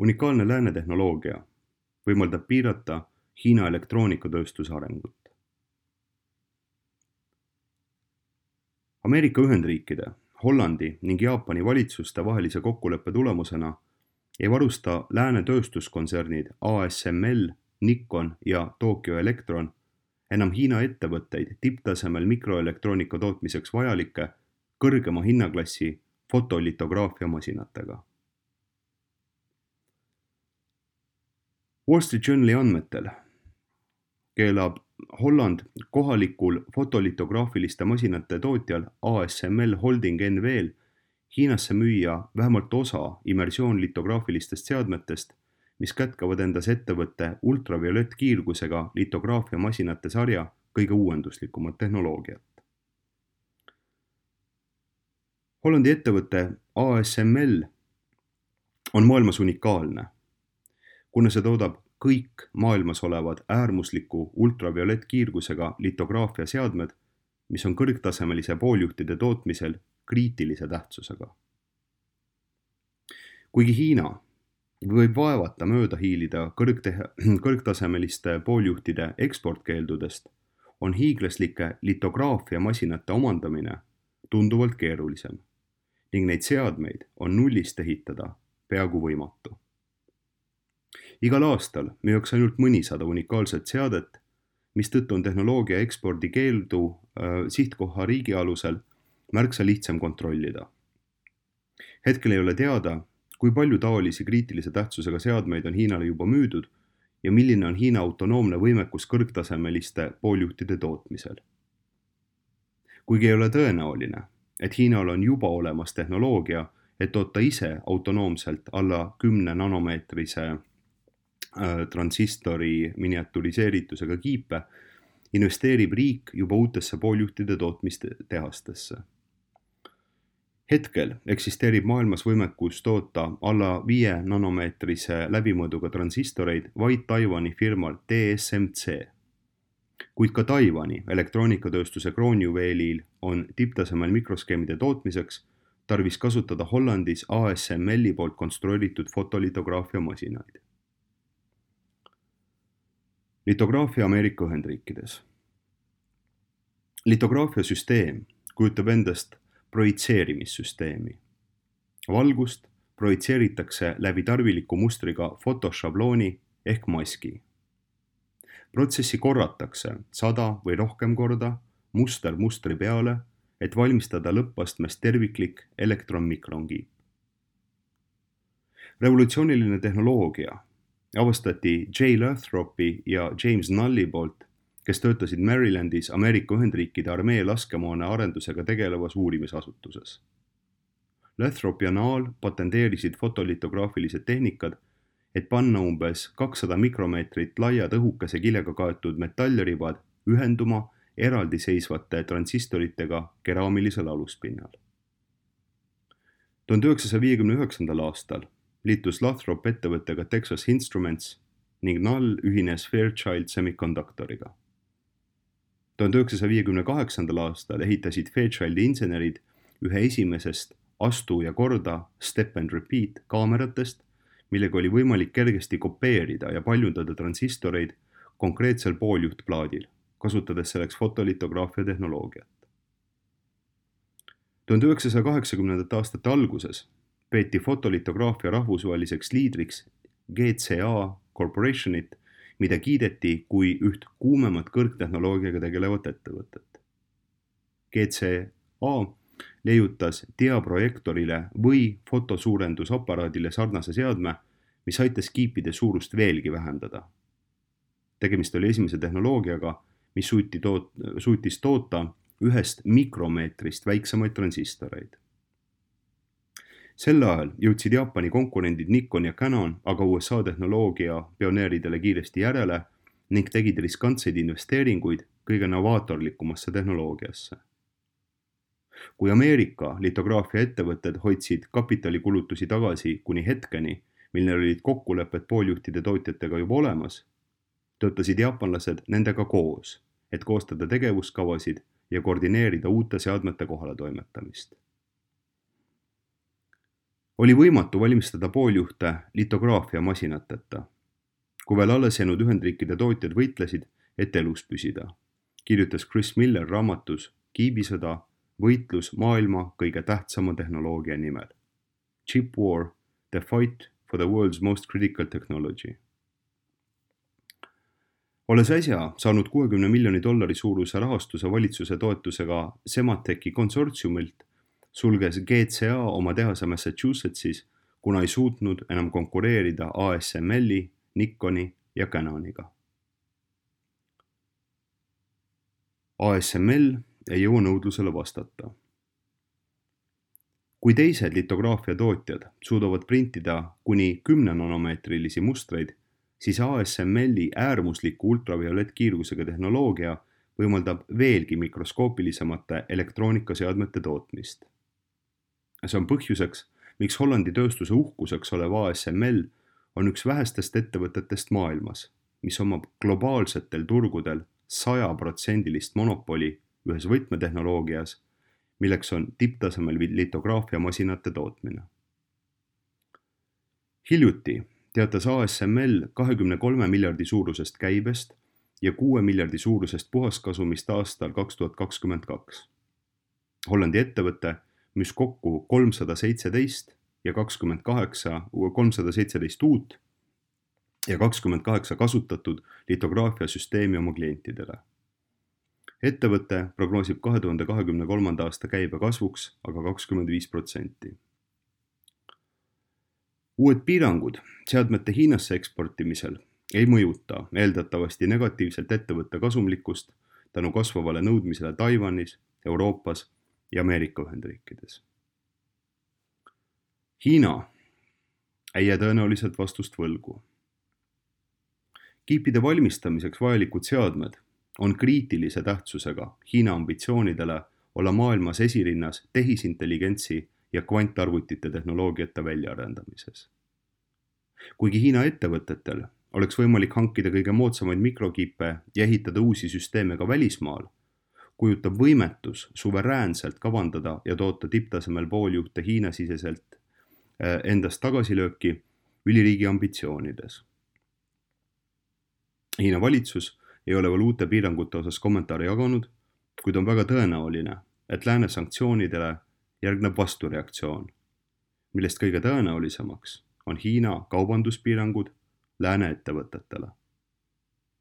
Unikaalne lääne tehnoloogia võimaldab piirata Hiina elektroonikatööstuse arengut. Ameerika Ühendriikide, Hollandi ning Jaapani valitsuste vahelise kokkuleppe tulemusena ei varusta lääne tööstuskontsernid ASML, Nikon ja Tokyo Electron enam Hiina ettevõtteid tipptasemel mikroelektroonika tootmiseks vajalike kõrgema hinnaklassi fotolitograafia masinatega. Wall Street Journali andmetel keelab Holland kohalikul fotolitograafiliste masinate tootjal ASML Holding NV-l Hiinasse müüa vähemalt osa immersioonlitograafilistest seadmetest, mis kätkavad endas ettevõtte ultraviolettkiirgusega litograafia masinate sarja kõige uuenduslikumat tehnoloogiat. Hollandi ettevõte ASML on maailmas unikaalne, kuna see toodab kõik maailmas olevad äärmusliku ultraviolettkiirgusega litograafia seadmed, mis on kõrgtasemelise pooljuhtide tootmisel kriitilise tähtsusega. Kuigi Hiina võib vaevata mööda hiilida kõrgtasemeliste pooljuhtide eksportkeeldudest, on hiiglaslike litograafia masinate omandamine tunduvalt keerulisem ning neid seadmeid on nullist ehitada peaaegu võimatu. Igal aastal müüakse ainult mõnisada unikaalset seadet, mistõttu on tehnoloogia ekspordi keeldu sihtkoha riigi alusel märksa lihtsam kontrollida. Hetkel ei ole teada, kui palju taolisi kriitilise tähtsusega seadmeid on Hiinale juba müüdud ja milline on Hiina autonoomne võimekus kõrgtasemeliste pooljuhtide tootmisel. Kuigi ei ole tõenäoline, et Hiinal on juba olemas tehnoloogia, et toota ise autonoomselt alla 10 nanomeetrise transistori miniaturiseeritusega kiipe, investeerib riik juba uutesse pooljuhtide tootmistehastesse. Hetkel eksisteerib maailmas võimekus toota alla 5 nanomeetrise läbimõõduga transistoreid vaid Taiwani firmal TSMC. Kuid ka Taiwani elektroonikatööstuse kroonjuveelil on tipptasemel mikroskeemide tootmiseks tarvis kasutada Hollandis ASML-i poolt konstrueeritud fotolitograafia masinaid. Litograafia Ameerika Ühendriikides. Litograafia süsteem kujutab endast projitseerimissüsteemi. Valgust projitseeritakse läbi tarviliku mustriga fotošablooni ehk maski. Protsessi korratakse 100 või rohkem korda muster mustri peale, et valmistada lõppastmest terviklik elektron-mikronkiip. Revolutsiooniline tehnoloogia avastati J. Lathropi ja James Nulli poolt, kes töötasid Marylandis Ameerika Ühendriikide armee laskemoona arendusega tegelevas uurimisasutuses. Lathrop ja Null patenteerisid fotolitograafilised tehnikad, et panna umbes 200 mikromeetrit laiad õhukese kilega kaetud metallribad ühenduma eraldiseisvate transistoritega keraamilisel aluspinnal. 1959. aastal liitus Lathrop ettevõttega Texas Instruments ning Null ühines Fairchild Semiconductoriga. 1958. aastal ehitasid Fairchildi insenerid ühe esimesest astu ja korda step and repeat kaameratest, millega oli võimalik kergesti kopeerida ja paljundada transistoreid konkreetsel pooljuhtplaadil, kasutades selleks fotolitograafia tehnoloogiat. 1980. aastate alguses peeti fotolitograafia rahvusvaheliseks liidriks GCA Corporationit, mida kiideti kui üht kuumemat kõrgtehnoloogiaga tegelevat ettevõtet. GCA leiutas diaprojektorile või fotosuurendusaparaadile sarnase seadme, mis aitas kiipide suurust veelgi vähendada. Tegemist oli esimese tehnoloogiaga, mis suutis toota ühest mikromeetrist väiksemaid transistoreid. Sel ajal jõudsid Jaapani konkurendid Nikon ja Canon aga USA tehnoloogia pioneeridele kiiresti järele ning tegid riskantseid investeeringuid kõige novaatorlikumasse tehnoloogiasse. Kui Ameerika litograafia ettevõtted hoidsid kapitalikulutusi tagasi kuni hetkeni, mil neil olid kokkulepped pooljuhtide tootjatega juba olemas, töötasid jaapanlased nendega koos, et koostada tegevuskavasid ja koordineerida uute seadmete kohaletoimetamist. Oli võimatu valmistada pooljuhte litograafiamasinateta, kui veel alles jäänud Ühendriikide tootjad võitlesid, et elus püsida, kirjutas Chris Miller raamatus Kiibisõda, võitlus maailma kõige tähtsama tehnoloogia nimel. Chip War, the fight for the world's most critical technology. Olles äsja saanud $60 miljoni suuruse rahastuse valitsuse toetusega Sematechi konsortsiumilt, sulges GCA oma tehase Massachusettsis, kuna ei suutnud enam konkureerida ASML-i, Nikoni ja Canoniga. ASML ei jõua nõudlusele vastata. Kui teised litograafia tootjad suudavad printida kuni 10 nanomeetrilisi mustreid, siis ASML-i äärmusliku ultraviolettkiirgusega tehnoloogia võimaldab veelgi mikroskoopilisemate elektroonikaseadmete tootmist. See on põhjuseks, miks Hollandi tööstuse uhkuseks olev ASML on üks vähestest ettevõtetest maailmas, mis omab globaalsetel turgudel 100% monopoli ühes võtmetehnoloogias, milleks on tipptasemel litograafiamasinate tootmine. Hiljuti teatas ASML 23 miljardi suurusest käibest ja 6 miljardi suurusest puhaskasumist aastal 2022. Hollandi ettevõte müüs kokku 317 uut ja 28 kasutatud litograafiasüsteemi oma klientidele. Ettevõte prognoosib 2023. aasta käibe kasvuks aga 25%. Uued piirangud seadmete Hiinasse eksportimisel ei mõjuta eeldatavasti negatiivselt ettevõtte kasumlikkust tänu kasvavale nõudmisele Taiwanis, Euroopas ja Ameerika Ühendriikides. Hiina ei jää tõenäoliselt vastust võlgu. Kiipide valmistamiseks vajalikud seadmed on kriitilise tähtsusega Hiina ambitsioonidele olla maailmas esirinnas tehisintelligentsi ja kvantarvutite tehnoloogiate väljaarendamises. Kuigi Hiina ettevõtetel oleks võimalik hankida kõige moodsamaid mikrokiipe ja ehitada uusi süsteeme ka välismaal, kujutab võimetus suveräänselt kavandada ja toota tipptasemel pooljuhte Hiina-siseselt endast tagasilööki üliriigi ambitsioonides. Hiina valitsus ei ole veel uute piirangute osas kommentaare jaganud, kuid on väga tõenäoline, et lääne sanktsioonidele järgneb vastureaktsioon, millest kõige tõenäolisemaks on Hiina kaubanduspiirangud lääne ettevõtetele.